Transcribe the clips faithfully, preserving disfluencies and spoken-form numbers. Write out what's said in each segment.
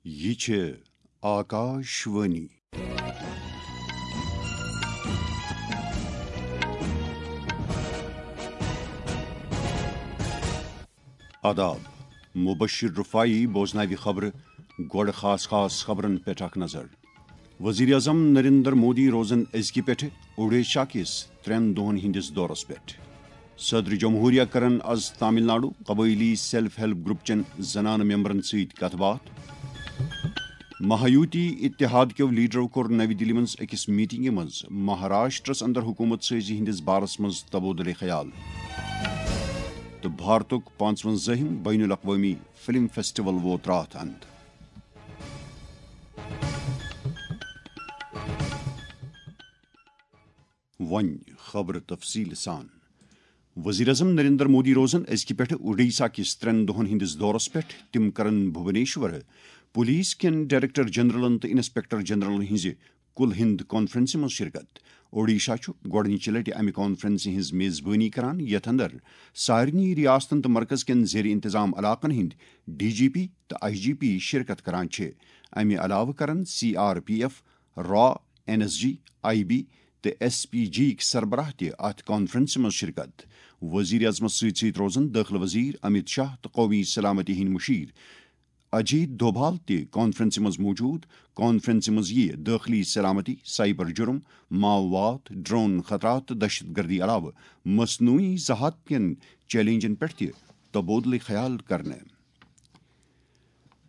یہِ چھِ آکاشوانی۔ آداب، مبشر رفاعی بوزناوِ خبرٕ۔ گۄڈٕ خاص خاص خبرن پٮ۪ٹھ اکھ نظر۔ وزیر اعظم نریندر مودی روزن أزکہِ پٮ۪ٹھٕ اوڈیشہ کِس ترٛٮ۪ن دۄہن ہٕنٛدِس دورس پٮ۪ٹھ۔ صدر جمہوریہ کرن از تامل ناڈو قبٲئلی سیلف ہیلپ گروپ چٮ۪ن زنانہٕ ممبرن سۭتۍ کتھ باتھ۔ مہایوتی اتحاد کیو لیڈرو کوٚر نَوِ دِلہِ منٛز أکِس میٹنگہِ منٛز مہاراشٹرس اندر حکومت سٲزی ہٕنٛدِس بارس منٛز تبادلہ خیال۔ تہٕ بھارتُک پانٛژوَنزٲہِم بین الاقوٲمی فلم فیسٹیول ووت راتھ اند۔ وۄنۍ خبرٕ تفصیٖل سان۔ وزیر اعظم نریندر مودی روزن أزکہِ پٮ۪ٹھٕ اوڈیشہ کِس ترٛٮ۪ن دۄہن ہٕنٛدِس دورس پٮ۪ٹھ۔ تِم کرن بھوبنیشور پولیس کٮ۪ن ڈائریکٹر جنرلن تہٕ انسپکٹر جنرلن ہٕنٛزِ کُل ہند کانفرنسہِ منٛز شرکت۔ اوڈیشہ چھُ گۄڈٕنِچہِ لٹہِ امہِ کانفرنسہِ ہٕنٛز میزبٲنی کران، یتھ اندر سارنٕے ریاستن تہٕ مرکز کٮ۪ن زیر انتظام علاقن ہٕنٛدۍ ڈی جی پی تہٕ آئی جی پی شرکت کران چھِ۔ امہِ علاوٕ کرن سی آر پی ایف، را، N S G, I B تہٕ ایس پی جی یِکۍ سربراہ تہِ اتھ کانفرنسہِ منٛز شرکت۔ وزیر اعظمس سۭتۍ سۭتۍ روزن دٲخلہٕ وزیر امت شاہ تہٕ قومی سلامتی ہٕنٛدۍ مشیر اجیت دوبھال تہِ کانفرنسہِ منٛز موجود۔ کانفرنسہِ منٛز یِیہِ دٲخلی سلامتی، سائبر جرم، ماؤواد، ڈرون خطرات تہٕ دہشت گردی علاوٕ مصنوعی ذہانت کٮ۪ن چیلنجن پٮ۪ٹھ تہِ تبادلہ خیال کرنہٕ۔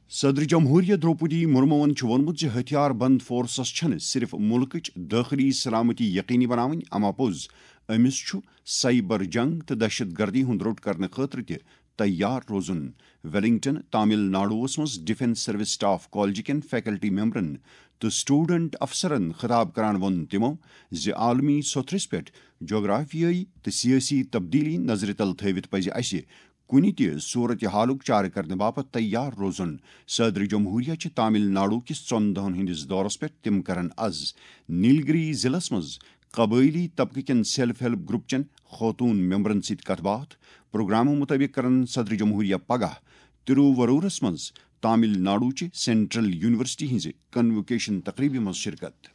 صدر جمہوریہ دروپدی مرموَن چھُ ووٚنمُت زِ ہتھیار بند فورسز چھَنہٕ صرف مُلکٕچ دٲخلی سلامتی یقینی بناوٕنۍ، اما پوٚز أمِس چھُ سائبر جنگ تہٕ دہشت گردی ہُنٛد روٚٹ کرنہٕ خٲطرٕ تہِ تیار روزُن۔ ویلنگٹن، تامل ناڈوَس منٛز ڈیفنس سروس سٹاف کالجہِ کٮ۪ن فیکلٹی ممبرن تہٕ سٹوڈنٹ افسرن خطاب کران ووٚن تِمَو زِ عالمی سوٚتھرِس پٮ۪ٹھ جغرافیٲیی تہٕ سیٲسی تبدیلی نظرِ تل تھٲوِتھ پزِ اسہِ کُنہِ تہِ صورتحالُک چارٕ کرنہٕ باپتھ تیار روزُن۔ صدر جمہوریہ چھِ تامل ناڈو کِس ژۄن دۄہَن ہٕنٛدِس دورس پٮ۪ٹھ۔ تِم کرن از نیلگری ضلعس منٛز قبٲئلی طبقہٕ کٮ۪ن سیلف ہیلپ گروپ چٮ۪ن خوتون ممبرن سۭتۍ کتھ باتھ۔ پروگرامہٕ مُطٲبِق کرن صدر جمہوریہ پگاہ تروورورس منٛز تامل ناڈو چہِ سینٹرل یونیورسٹی ہٕنٛزِ کنووکیشن تقریبہِ منٛز شرکت۔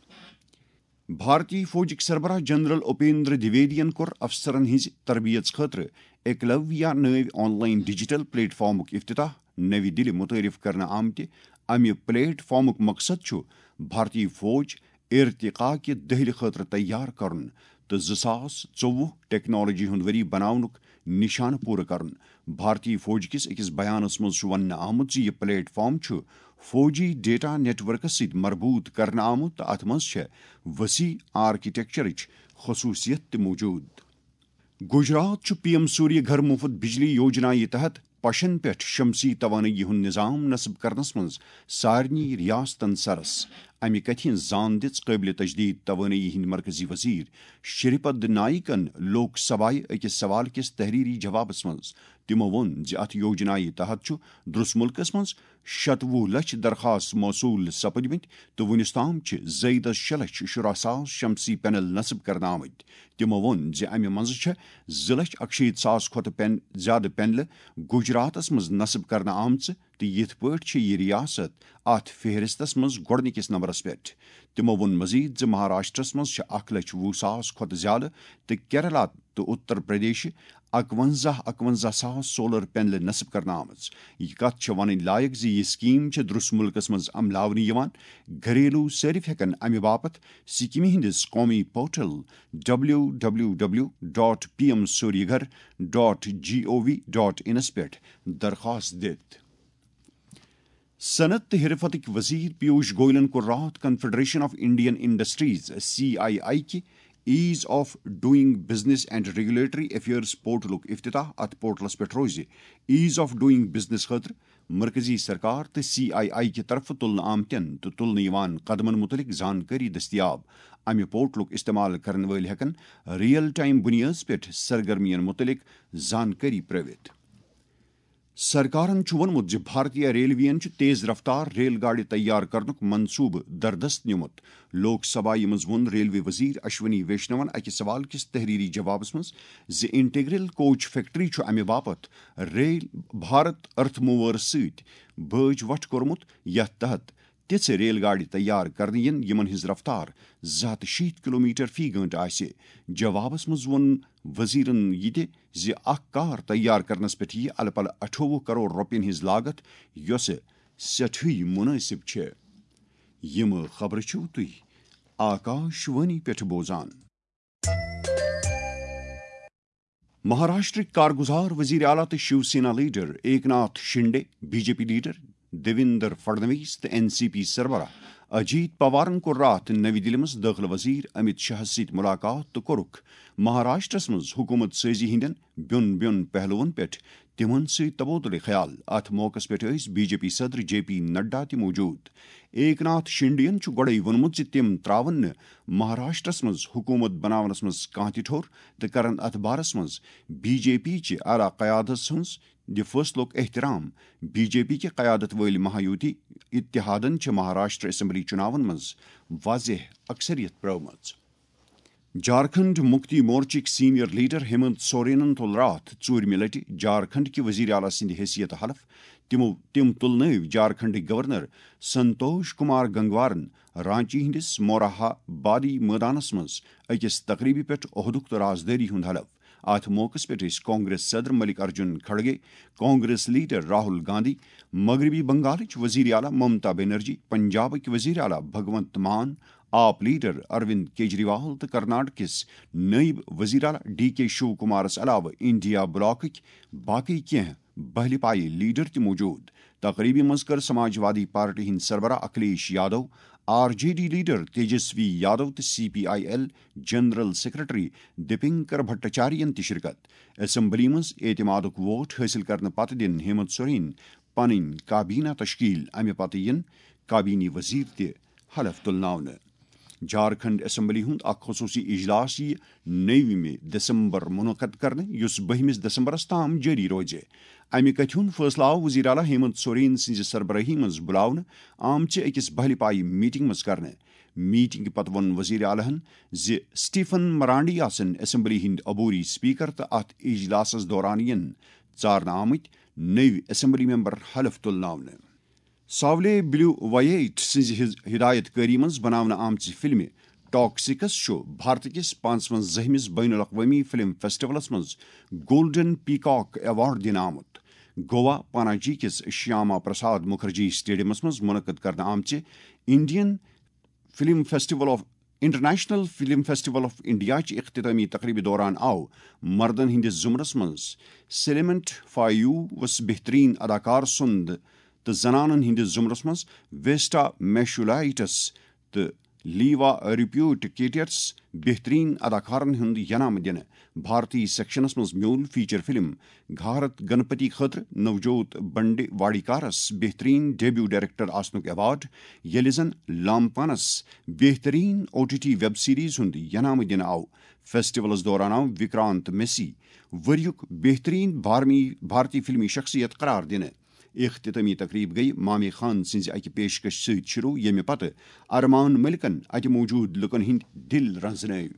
بھارتی فوجٕکۍ سربراہ جنرل اپیندر دویدین کوٚر افسرن ہٕنٛزِ تربیت خٲطرٕ ایکلویا نٲوۍ آن لائن ڈیجیٹل پلیٹ فارمُک افتتاح۔ نَوِ دِلہِ مُتعارف کرنہٕ آمتہِ امہِ پلیٹ فارمُک مقصد چھُ بھارتی فوج ارتقا کہِ دٔہلہِ خٲطرٕ تیار کرُن تہٕ زٕ ساس ژوٚوُہ ٹیکنالوجی ہُنٛد ؤری بناونُک نشانہٕ پوٗرٕ کرُن۔ بھارتی فوج کِس أکِس بیانَس منٛز چھُ وننہٕ آمُت زِ یہِ پلیٹ فارم چھُ فوجی ڈیٹا نیٹ ورکس سۭتۍ مربوط کرنہٕ آمُت تہٕ اتھ منٛز چھےٚ وسیع آرکیٹیکچرٕچ خصوٗصیت تہِ موجود۔ گجرات چھُ پی ایم سوریہ گھر مفت بجلی یوجنا یہِ تحت پشن پٮ۪ٹھ شمسی توانٲیی ہُنٛد نظام نصب کرنس منٛز سارنٕے ریاستن سرس۔ امہِ کتھِ ہٕنٛز زان دِژ قٲبلِ تجدید توانٲیی ہٕنٛدۍ مرکزی وزیر شری پد نائکن لوک سبھایہ أکِس سوال کِس تحریری جوابس منٛز۔ تِمو ووٚن زِ اتھ یوجنایہِ تحت چھُ درس مُلکس منٛز شتوُہ لچھ درخواست موصول سپدمٕتۍ تہٕ وُنیُس تام چھِ زٲیدس شےٚ لچھ شُراہ ساس شمسی پینل نصب کرنہٕ آمٕتۍ۔ تِمو ووٚن زِ امہِ منٛزٕ چھےٚ زٕ لچھ اکشیٖتھ ساس کھۄتہٕ پین-، زیادٕ پینلہٕ گجراتس منٛز نصب کرنہٕ آمژٕ تہٕ یِتھ پٲٹھۍ چھِ یہِ ریاست اتھ فہرستس منٛز گۄڈٕنِکِس نمبرس پٮ۪ٹھ۔ تِمو ووٚن مزید زِ مہاراشٹرس منٛز چھِ اکھ لچھ وُہ ساس کھۄتہٕ زیادٕ تہٕ کیرلا تہٕ اتر پردیشہِ اکونزہ، اکونزہ ساس سولر پینلہٕ نصب کرنہٕ آمٕژ۔ یہِ کتھ چھےٚ ونٕنۍ لایق زِ یہِ سکیٖم چھےٚ درس مُلکس منٛز عملاونہٕ یِوان۔ گھریلو صٲرِف ہٮ۪کن امہِ باپتھ سکیمہِ ہٕنٛدِس قومی portal W W W dot P M Surya Ghar dot G O V dot انس پٮ۪ٹھ درخواست دِتھ۔ صنعت تہٕ حرفتٕکۍ وزیر پیوش گوئلن کوٚر راتھ confederation of Indian industries, C I I, کہِ Ease of Doing Business and Regulatory Affairs پورٹلُک افتتاح۔ اتھ پورٹلس پٮ۪ٹھ روزِ ease of doing business خٲطرٕ مرکزی سرکار تہٕ سی آئی آئی کہِ طرفہٕ تُلنہٕ آمتٮ۪ن تہٕ تُلنہٕ یِوان قدمن مُتعلق زانکٲری دٔستیاب۔ امہِ پورٹلُک استعمال کرن وٲلۍ ہٮ۪کن ریئل ٹائم بُنیٲدس پٮ۪ٹھ سرگرمین مُتعلق زانکٲری پرٲوِتھ۔ سرکارن چھُ ووٚنمُت زِ بھارتیہ ریلویَن چھُ تیز رفتار ریل گاڑِ تیار کرنُک منصوبہٕ دردست نیومُت۔ لوک سبھایہ منٛز ووٚن ریلوے وزیر اشونی ویشنون اکہِ سوال کِس تحریری جوابس منٛز زِ انٹیگرل کوچ فیکٹری چھُ امہِ باپتھ ریل بھارت ارتھ موورس سۭتۍ بٲج وٹھ کوٚرمُت، یتھ تحت تِژھٕ ریل گاڑِ تیار کرنہٕ یِن، یِمن ہٕنٛز رفتار زٕ ہتھ شیٖتھ کلومیٹر فی گٲنٹہٕ آسہِ۔ جوابس منٛز ووٚن وزیرن یہِ تہِ زِ اکھ کار تیار کرنس پٮ۪ٹھ یِیہِ الہٕ پلہٕ اَٹھووُہ کرور رۄپین ہٕنٛز لاگت، یۄسہٕ سٮ۪ٹھٕے مُنٲسِب چھےٚ۔ یِم خبرٕ چھِو تُہۍ آکاش وانی پٮ۪ٹھ بوزان۔ مہاراشٹرٕکۍ کارگزار وزیر اعلیٰ تہٕ Shiv Sena leader Eknath Shinde, B J P leader Devendra Fadnavis تہٕ این سی پی سربراہ اجیت پوارن کوٚر راتھ نٔوِ دِلہِ منٛز دٲخلہٕ وزیر امت شاہس سۭتۍ ملاقات تہٕ کوٚرُکھ مہاراشٹرس منٛز حکومت سٲزی ہٕنٛدٮ۪ن بیوٚن بیوٚن پہلوَن پٮ۪ٹھ تِمن سۭتۍ تبادلہٕ خیال۔ اتھ موقعس پٮ۪ٹھ ٲسۍ بی جے پی صدر جے پی نڈا تہِ موجود۔ ایکناتھ شنڈے ین چھُ گۄڈَے ووٚنمُت زِ تِم تراون نہٕ مہاراشٹرس منٛز حکومت بناونس منٛز کانٛہہ تہِ ٹھوٚر تہٕ کرن اتھ بارس منٛز بی جے پی چہِ اعلیٰ قیادس ہٕنٛز دِ فٲصلُک احترام۔ بی جے پی کہِ قیادت وٲلۍ مہایوتی اتحادن چھِ مہاراشٹر اسمبلی چُناون منٛز واضح اکثریت پرٲومٕژ۔ جھارکھنڈ مکتی مورچٕکۍ سینئر لیڈر ہیمنت سورینن تُل راتھ ژوٗرمہِ لٹہِ جھارکھنڈ کہِ وزیر اعلیٰ سٕنٛدِ حیثیت حلف۔ تِمو، تِم تُلنٲوۍ جھارکھنڈٕکۍ گورنر سنتوش کمار گنگوارن رانچی ہٕنٛدِس موراہا بادی مٲدانس منٛز أکِس تقریبہِ پٮ۪ٹھ عہدُک تہٕ رازدٲری ہُنٛد حلف۔ اتھ موقعس پٮ۪ٹھ ٲسۍ کانگریس صدر ملک ارجن کھڑگے، کانگریس لیڈر راہل گاندھی، مغربی بنگالٕچ وزیر اعلیٰ ممتا بنرجی، پنجابٕکۍ وزیر اعلیٰ بھگونت مان، آپ لیڈر اروند کیجریوال تہٕ کرناٹکس نائب وزیر اعلیٰ ڈی کے شیو کمارس علاوٕ انڈیا بلاکٕکۍ باقٕے کینٛہہ بہلہِ پایہِ لیڈر تہِ موجود۔ تقریبہِ منٛز کٔر سماج وادی پارٹی ہٕنٛدۍ سربراہ Akhilesh Yadav, R J D leader Tejashwi Yadav تہٕ C P I L general secretary Dipankar بھٹاچاریہن تہِ شرکت۔ اسمبلی منٛز اعتمادُک ووٹ حٲصِل کرنہٕ پتہٕ دِن ہیمنت سورین پنٕنۍ کابینہ تشکیل۔ امہِ پتہٕ یِن کابینی وزیر تہِ حلف تُلناونہٕ۔ جھارکھنڈ اسمبلی ہُنٛد اکھ خصوٗصی اجلاس یِیہِ نٔوِمہِ دسمبر منعقد کرنہٕ، یُس بٔہمِس دسمبرس تام جٲری روزِ۔ امہِ کتھِ ہُنٛد فٲصلہٕ آو وزیر اعلیٰ ہیمنت سورین سٕنٛزِ سربرٲہی منٛز بُلاونہٕ آمژِ أکِس بہلہِ پایہِ میٹنگ منٛز کرنہٕ۔ میٹنگ پتہٕ ووٚن وزیر اعلیٰ ہن زِ سٹیفن مرانڈی آسن اسمبلی ہٕنٛدۍ عبوری سپیکر تہٕ اتھ اجلاسس دوران یِن ژارنہٕ آمٕتۍ نٔوۍ اسمبلی ممبر حلف تُلناونہٕ۔ ساولے بلیو وائٹ سٕنٛزِ ہز-، ہدایت کٲری منٛز بناونہٕ آمژِ فلمہِ ٹاکسکس چھُ بھارت کِس پانٛژوَنزاہمِس بین الاقوٲمی فلم فیسٹیولس منٛز گولڈن پیکاک ایوارڈ دِنہٕ آمُت۔ گوا پاناجی کِس شیاما پرساد مکھرجی اسٹیڈیمس منٛز منعقد کرنہٕ آمژِ Indian film festival of, international film festival of India چہِ اختتامی تقریبہِ دوران آو مردن ہٕنٛدِس زمرس منٛز سلیمنٹ فایوس بہترین اداکار سُنٛد تہٕ زنانن ہٕنٛدِس زمرس منٛز ویسٹا میشولائٹس تہٕ لیوا ریپیوٹ کیٹیٹس بہترین اداکارن ہُنٛد ینامہٕ دِنہٕ۔ بھارتی سیکشنس منٛز میوٗل فیچر فلم گھارت گنپتی خٲطرٕ نوجوت بنڈے واڑیکارس بہترین ڈیبیو ڈائریکٹر آسنُک ایوارڈ، ییٚلہِ زن لامپانس بہترین O T T web series ہُنٛد ینامہٕ دِنہٕ آو۔ فیسٹیولس دوران آو وکرانت میسی ؤریُک بہترین بھارمی-، بھارتی فلمی شخصیت قرار دِنہٕ۔ اختتامی تقریب گٔیہِ مامی خان سٕنٛزِ اکہِ پیشکش سۭتۍ شروع، ییٚمہِ پتہٕ ارمان ملکن اتہِ موجود لوٗکن ہٕنٛدۍ دِل رنزنٲوۍ۔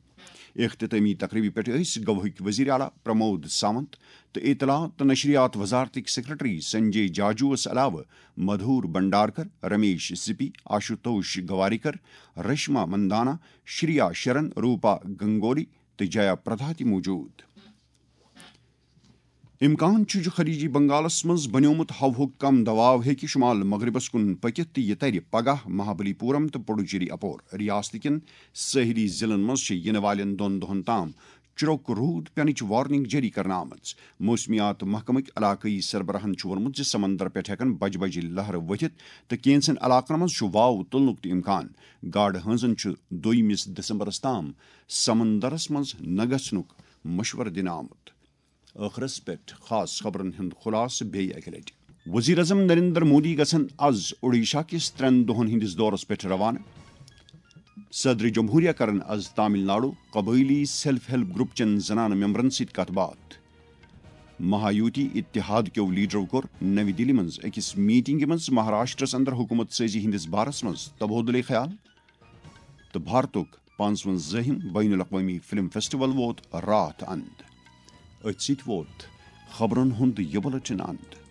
اختتامی تقریبہِ پٮ۪ٹھ ٲسۍ گواہٕکۍ وزیر اعلیٰ پرمود ساونت تہٕ اطلاعات تہٕ نشریات وزارتٕکۍ سیکرٹری سنجے جاجوس علاوٕ مدھور بھنڈارکر، رمیش سپی، آشوتوش گواریکر، رشما مندانا، شریا شرن، روپا گنگولی تہٕ جیا پردا تہِ موجود۔ امکان چھُ زِ خلیجی بنگالس منٛز بنیومُت ہوہُک کم دباو ہیٚکہِ شمال مغربس کُن پٔکِتھ تہٕ یہِ ترِ پگاہ مہابلی پورم تہٕ پڈوچیری اپور۔ ریاست کٮ۪ن ساحلی ضلعن منٛز چھِ یِنہٕ والٮ۪ن دۄن دۄہن تام چرٛوک روٗد پینٕچ وارننگ جٲری کرنہٕ آمٕژ۔ موسمیات محکمٕکۍ علاقٲیی سربراہن چھُ ووٚنمُت زِ سمندر پٮ۪ٹھ ہٮ۪کن بجہِ بجہِ لہرٕ ؤتھِتھ تہٕ کینٛژن علاقن منٛز چھُ واو تُلنُک تہِ امکان۔ گاڈٕ ہٲنزن چھُ دویمِس دسمبرس تام سمندرس منٛز نہ گژھنُک مشورٕ دِنہٕ آمُت۔ ٲخرس پٮ۪ٹھ خاص خبرن ہُنٛد خلاصہٕ بیٚیہِ اکہِ لٹہِ۔ وزیر اعظم نریندر مودی گژھن از اوڈیشہ کِس ترٛٮ۪ن دۄہن ہٕنٛدِس دورس پٮ۪ٹھ روانہٕ۔ صدر جمہوریہ کرن از تامل ناڈو قبٲئلی سیلف ہیلپ گروپ چٮ۪ن زنانہٕ ممبرن سۭتۍ کتھ باتھ۔ مہایوتی اتحاد کیو لیڈرو کوٚر نَوِ دِلہِ منٛز أکِس میٹنگہِ منٛز مہاراشٹرس اندر حکومت سٲزی ہٕنٛدِس بارس منٛز تبادلہ خیال، تہٕ بھارتُک پانٛژوَنزٲہِم بین الاقوٲمی فلم فیسٹیول ووت راتھ اند۔ أتھۍ سۭتۍ ووت خبرن ہُنٛد یہِ بُلٹن اند۔